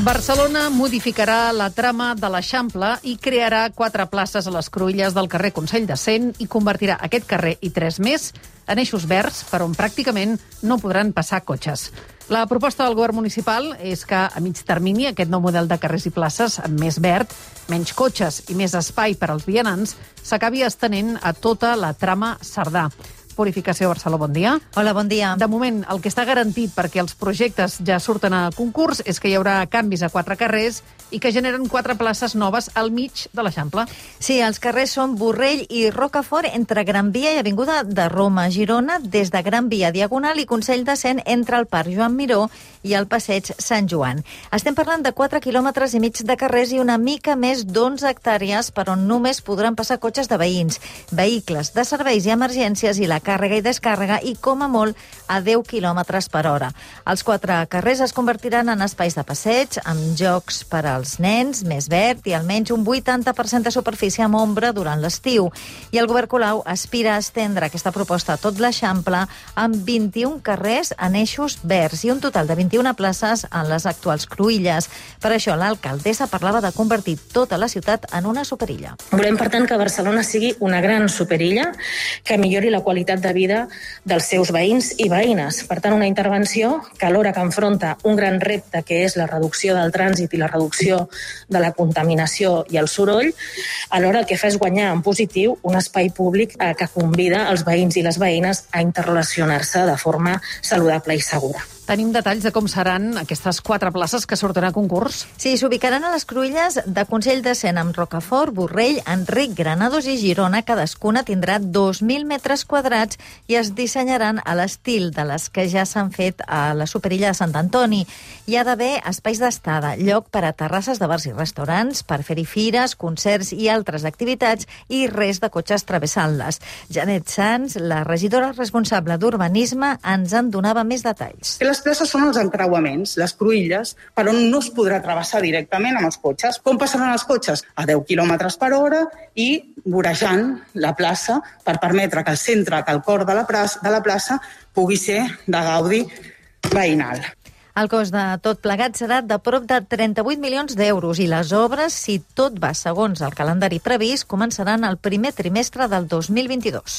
Barcelona modificarà la trama de l'Eixample i crearà 4 places a les cruïlles del carrer Consell de Cent i convertirà aquest carrer i 3 més en eixos verds per on pràcticament no podran passar cotxes. La proposta del govern municipal és que a mig termini aquest nou model de carrers i places amb més verd, menys cotxes i més espai per als vianants s'acabi estenent a tota la trama Cerdà. Purificació Barcelona, bon dia. Hola, bon dia. De moment, el que està garantit perquè els projectes ja surten a concurs és que hi haurà canvis a 4 carrers i que generen 4 places noves al mig de l'Eixample. Sí, els carrers són Borrell i Rocafort entre Gran Via i Avinguda de Roma a Girona, des de Gran Via Diagonal i Consell de Cent entre el Parc Joan Miró i el Passeig Sant Joan. Estem parlant de 4 quilòmetres i mig de carrers i una mica més d'11 hectàrees per on només podran passar cotxes de veïns, vehicles de serveis i emergències i la càrrega i descàrrega i, com a molt, a 10 quilòmetres per hora. Els 4 carrers es convertiran en espais de passeig, amb jocs per als nens, més verd i almenys un 80% de superfície amb ombra durant l'estiu. I el govern Colau aspira a estendre aquesta proposta a tot l'Eixample amb 21 carrers en eixos verds i un total de 21 places en les actuals cruïlles. Per això l'alcaldessa parlava de convertir tota la ciutat en una superilla. Volem, per tant, que Barcelona sigui una gran superilla que millori la qualitat de vida dels seus veïns i veïnes. Per tant, una intervenció que alhora que enfronta un gran repte que és la reducció del trànsit i la reducció de la contaminació i el soroll, alhora el que fa és guanyar en positiu un espai públic que convida els veïns i les veïnes a interrelacionar-se de forma saludable i segura. Tenim detalls de com seran aquestes 4 places que surten a concurs? Sí, s'ubicaran a les cruïlles de Consell de Cent amb Rocafort, Borrell, Enric, Granados i Girona. Cadascuna tindrà 2.000 metres quadrats i es dissenyaran a l'estil de les que ja s'han fet a la superilla de Sant Antoni. Hi ha d'haver espais d'estada, lloc per a terrasses de bars i restaurants, per fer-hi fires, concerts i altres activitats i res de cotxes travessant-les. Janet Sanz, la regidora responsable d'Urbanisme, ens en donava més detalls. Les places són els encreuaments, les cruïlles, per on no es podrà travessar directament amb els cotxes. Com passaran els cotxes? A 10 km per hora i vorejant la plaça per permetre que el centre, que el cor de la plaça pugui ser de gaudi veïnal. El cost de tot plegat serà de prop de 38 milions d'euros i les obres, si tot va segons el calendari previst, començaran el primer trimestre del 2022.